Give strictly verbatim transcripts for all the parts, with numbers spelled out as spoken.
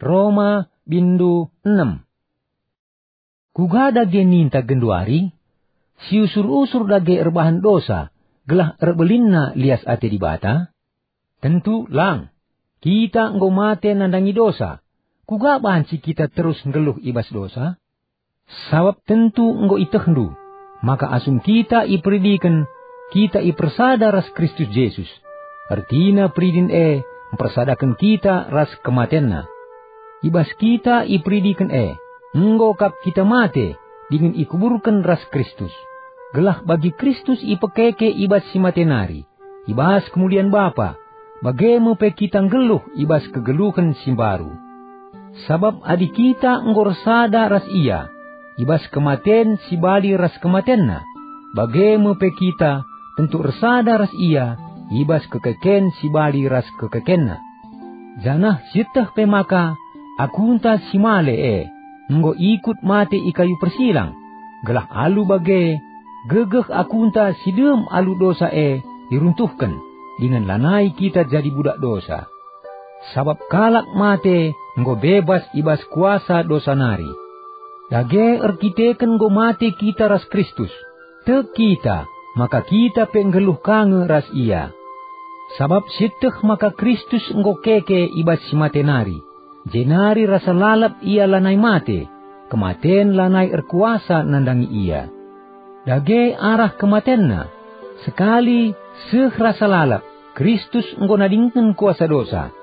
Roma, bindu enem. Kuga dage ninta genduari? Siusur-usur dage erbahan dosa, gelah erbelinna lias ate Dibata? Tentu lang! Kita enggo mate nandangi dosa. Kuga banci kita terus nggeluh i bas dosa? Sabap tentu enggo itehndu maka asum kita iperidiken, kita ipersada ras Kristus Jesus. Ertina peridin e mpersadaken kita ras kematenNa. I bas kita iperidiken e, enggo kap kita mate dingen ikuburken ras Kristus, gelah bagi Kristus ipekeke i bas si mate nari, i bas kemulian Bapa, bage me pe kita nggeluh i bas kegeluhen si mbaru. Sabap adi kita enggo ersada ras Ia i bas kematen si bali ras kematenNa, bage me pe kita tentu ersada ras Ia i bas kekeken si bali ras kekekenNa. Janah sieteh pe maka akunta si male e enggo ikut mate i kayu persilang, gelah alu bage, gegeh akunta si dem alu dosa e iruntuhken, dingen lanai kita jadi budak dosa. Sabap kalak mate enggo bebas i bas kuasa dosa nari. Dage erkiteken enggo mate kita ras Kristus, tek kita maka kita pe nggeluh ka nge ras Ia. Sabap sieteh maka Kristus enggo keke i bas si mate nari, jenari rasa lalap Ia lanai mate, kematen lanai erkuasa nandangi Ia. Dage arah kematenNa, sekali seh rasa lalap, Kristus enggo nadingken kuasa dosa,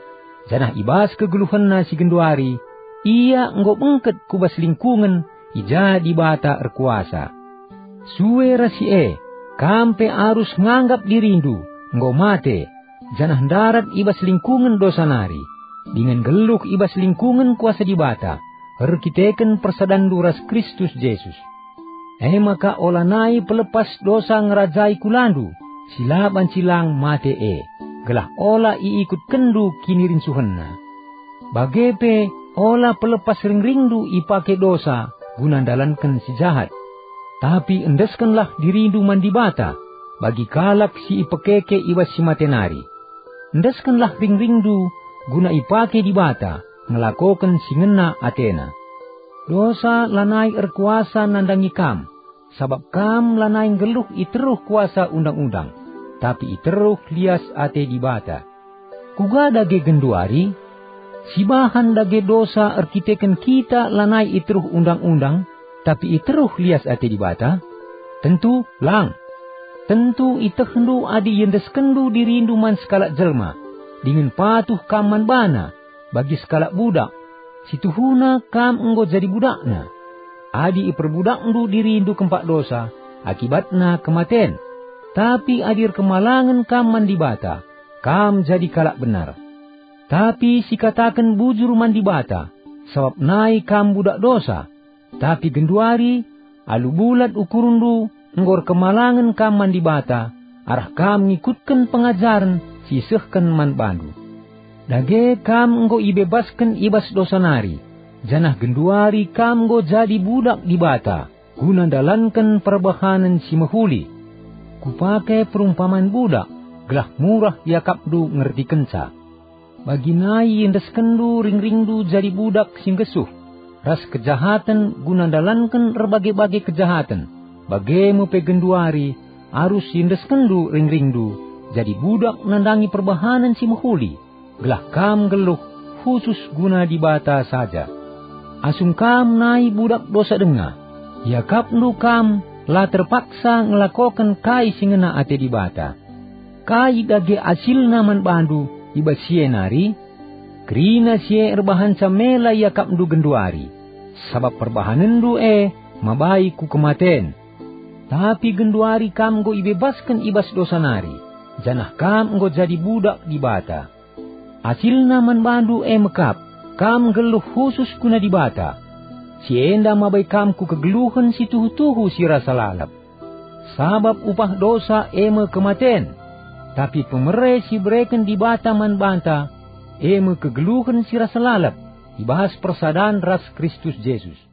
janah i bas kegeluhenNa si genduari, Ia enggo bengket ku bas lingkungen i ja Dibata erkuasa. Sue ras si e, kam pe arus nganggap dirindu enggo mate, janah ndarat i bas lingkungen dosa nari, dingen nggeluh i bas lingkungen kuasa Dibata, erkiteken persadanndu ras Kristus Jesus. E maka olanai pelepas dosa ngerajai kulandu si la banci lang mate e, gelah ola iikutkenndu kinirincuhenna. Bage pe ola pelepas ringringndu ipake dosa guna ndalanken si jahat. Tapi endeskenlah dirindu man Dibata bagi kalak si ipekeke i bas si mate nari. Endeskenlah ringringndu guna ipake Dibata ngelakoken si ngena ateNa. Dosa lanai erkuasa nandangi kam, sabap kam lanai nggeluh i teruh kuasa Undang-undang, tapi i teruh lias ate Dibata. Kuga dage genduari? Sibahan dage dosa erkiteken kita lanai i teruh Undang-undang, tapi i teruh lias ate Dibata? Tentu lang! Tentu itehndu adi iendeskenndu dirindu man sekalak jelma, dingen patuh kam man bana, bagi sekalak budak, si tuhuna kam enggo jadi budakna. Adi iperbudakndu dirindu kempak dosa, akibatna kematen. Tapi adi erkemalangen kam man Dibata, kam jadi kalak benar. Tapi sikataken bujur man Dibata, sabap nai kam budak dosa. Tapi genduari, alu bulat ukurndu enggo erkemalangen kam man Dibata, arah kam ngikutken pengajaren si isehken man bandu. Dage kam enggo ibebasken i bas dosa nari, janah genduari kam enggo jadi budak Dibata, guna ndalanken perbahanen si mehuli. Kupake perumpaman budak, gelah murah iakapndu ngertikenca. Bagi nai iendeskenndu ringringndu jadi budak si nggesuh, ras kejahaten guna ndalanken erbage-bage kejahaten, bage me pe genduari arus iendeskenndu ringringndu jadi budak nandangi perbahanen si mehuli, gelah kam nggeluh khusus guna Dibata saja. Asum kam nai budak dosa denga, iakapndu kam la terpaksa ngelakoken kai si ngena ate Dibata. Kai dage asilna man bandu i bas si e nari? Kerina si e erbahanca mela iakapndu genduari, sabap perbahanenndu e mabai ku kematen. Tapi genduari kam enggo ibebasken i bas dosa nari, janah kam enggo jadi budak Dibata. Asilna man bandu e mekap, kam nggeluh khusus guna Dibata. Si enda mabai kam ku kegeluhen si tuhu-tuhu si rasa lalap. Sabap upah dosa e me kematen, tapi pemere si ibereken Dibata man banta e me kegeluhen si rasa lalap i bas persadan ras Kristus Jesus.